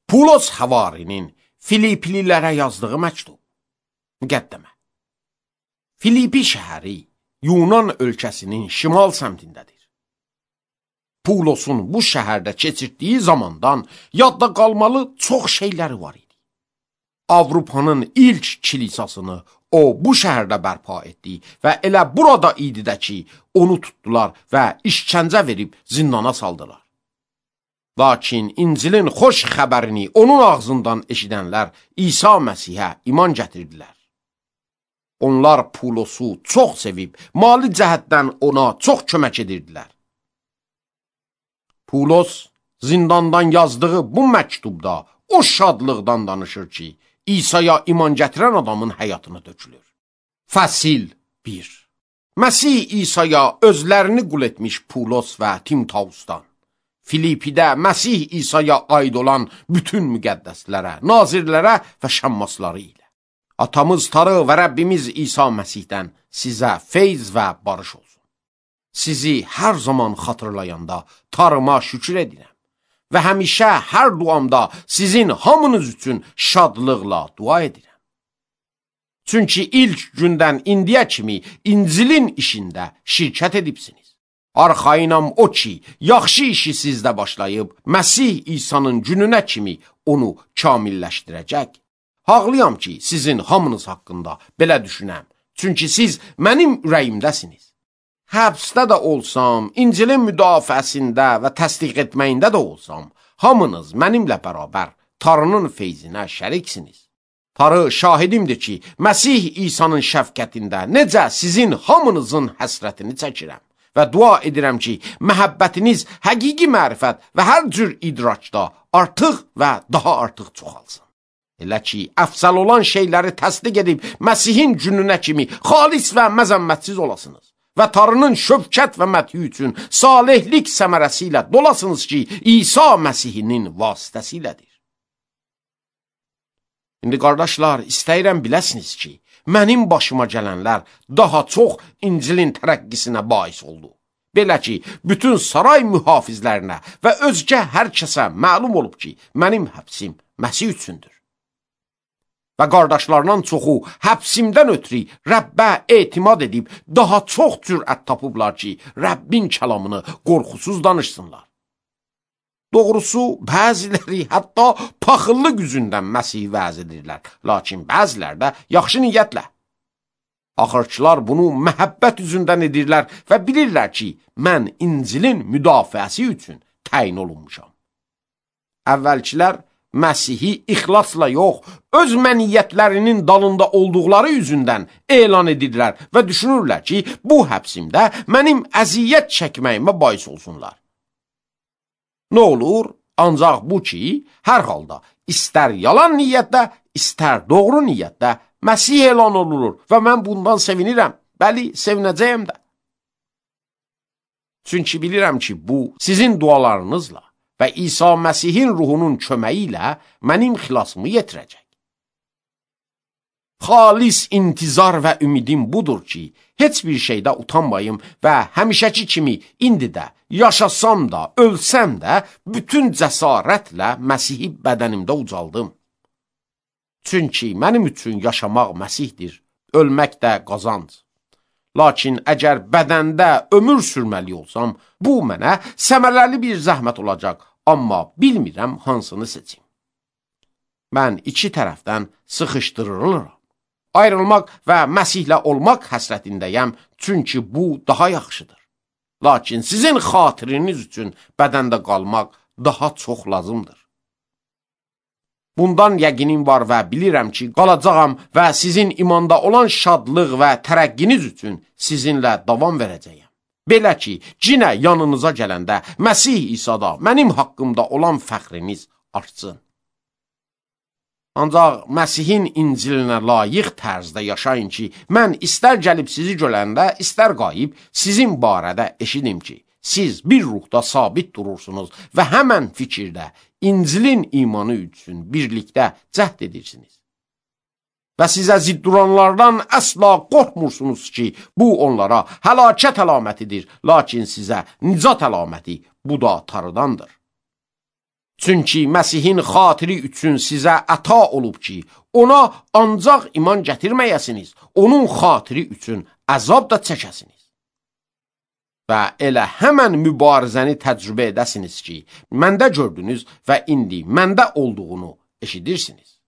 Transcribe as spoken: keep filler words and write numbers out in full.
Pulos Həvarinin Filiplilərə yazdığı məktub. Müqəddəmə. Filipi şəhəri Yunan ölkəsinin şimal səmtindədir. Pulosun bu şəhərdə keçirdiyi zamandan yadda qalmalı çox şeyləri var idi. Avropanın ilk kilisasını o bu şəhərdə bərpa etdi və elə burada idi də ki, onu tutdular və işkəncə verib zindana saldılar. Lakin İncilin xoş xəbərini onun ağzından eşidənlər İsa Məsihə iman gətirdilər. Onlar Pulosu çox sevib, mali cəhətdən ona çox kömək edirdilər. Pulos zindandan yazdığı bu məktubda o şadlıqdan danışır ki, İsa'ya iman gətirən adamın həyatına dökülür. Fəsil bir. Məsih İsa'ya özlərini qul etmiş Pulos və Timtausdan, Filipidə Məsih İsa'ya aid olan bütün müqəddəslərə, nazirlərə və şəmmasları ilə. Atamız Tarı və Rəbbimiz İsa Məsihdən sizə feyz və barış olsun. Sizi hər zaman xatırlayanda Tarıma şükür edirəm və həmişə hər duamda sizin hamınız üçün şadlıqla dua edirəm. Çünki ilk gündən indiyə kimi İncilin işində şirkət edibsiniz. Arxayınam o ki, yaxşı işi sizdə başlayıb, Məsih İsa'nın gününə kimi onu kamilləşdirəcək. Haqlıyam ki, sizin hamınız haqqında belə düşünəm. Çünki siz mənim ürəyimdəsiniz. Həbsdə də olsam, İncilin müdafiəsində və təsdiq etməyində də olsam, hamınız mənimlə bərabər Tarının feyzinə şəriksiniz. Tarı şahidimdir ki, Məsih İsa'nın şəfqətində necə sizin hamınızın həsrətini çəkirəm və dua edirəm ki, məhəbbətiniz həqiqi mərifət və hər cür idrakda artıq və daha artıq çoxalsın. Elə ki, əfsəl olan şeyləri təsdiq edib Məsihin gününə kimi xalis və məzəmmətsiz olasınız və Tarının şövkət və məthi üçün salihlik səmərəsi ilə dolasınız ki, İsa Məsihinin vasitəsilədir. İndi qardaşlar, istəyirəm biləsiniz ki, mənim başıma gələnlər daha çox İncilin tərəqqisinə bais oldu. Belə ki, bütün saray mühafizlərinə və özgə hər kəsə məlum olub ki, mənim həbsim Məsih üçündür. Və qardaşlarından çoxu həbsimdən ötürü Rəbbə etimad edib daha çox cürət tapıblar ki, Rəbbin kəlamını qorxusuz danışsınlar. Doğrusu, bəziləri hətta paxıllıq üzündən Məsih vəz edirlər, lakin bəzilər də yaxşı niyyətlə. Axırçılar bunu məhəbbət üzündən edirlər və bilirlər ki, mən İncilin müdafiəsi üçün təyin olunmuşam. Əvvəlkilər Məsihi ixlasla yox, öz məniyyətlərinin dalında olduqları üzündən elan edirlər və düşünürlər ki, bu həbsimdə mənim əziyyət çəkməyimə bais olsunlar. Nə olur? Ancaq bu ki, hər halda istər yalan niyyətdə, istər doğru niyyətdə Məsih elan olunur və mən bundan sevinirəm, bəli, sevinəcəyəm də. Çünki bilirəm ki, bu sizin dualarınızla və İsa Məsihin ruhunun köməyi ilə mənim xilasımı yetirəcək. Xalis intizar və ümidim budur ki, heç bir şeydə utanmayım və həmişəki kimi indi də, yaşasam da, ölsəm də, bütün cəsarətlə Məsihi bədənimdə ucaldım. Çünki mənim üçün yaşamaq Məsihdir, ölmək də qazanc. Lakin əgər bədəndə ömür sürməli olsam, bu mənə səmərəli bir zəhmət olacaq, amma bilmirəm hansını seçim. Mən iki tərəfdən sıxışdırılıram. Ayrılmaq və Məsihlə olmaq həsrətindəyəm, çünki bu daha yaxşıdır. Lakin sizin xatiriniz üçün bədəndə qalmaq daha çox lazımdır. Bundan yəqinim var və bilirəm ki, qalacağam və sizin imanda olan şadlıq və tərəqqiniz üçün sizinlə davam verəcəyəm. Belə ki, cinə yanınıza gələndə Məsih İsa'da mənim haqqımda olan fəxriniz artsın. Ancaq Məsihin İncilinə layiq tərzdə yaşayın ki, mən istər gəlib sizi görəndə, istər qayıb sizin barədə eşidim ki, siz bir ruhda sabit durursunuz və həmən fikirdə İncilin imanı üçün birlikdə cəhd edirsiniz. Və sizə zidd duranlardan əsla qorxmursunuz ki, bu onlara həlakət əlamətidir, lakin sizə nicat əlaməti bu da Tarıdandır. Çünki Məsihin xatiri üçün sizə əta olub ki, ona ancaq iman gətirməyəsiniz, onun xatiri üçün əzab da çəkəsiniz. Və elə həmən mübarizəni təcrübə edəsiniz ki, məndə gördünüz və indi məndə olduğunu eşidirsiniz.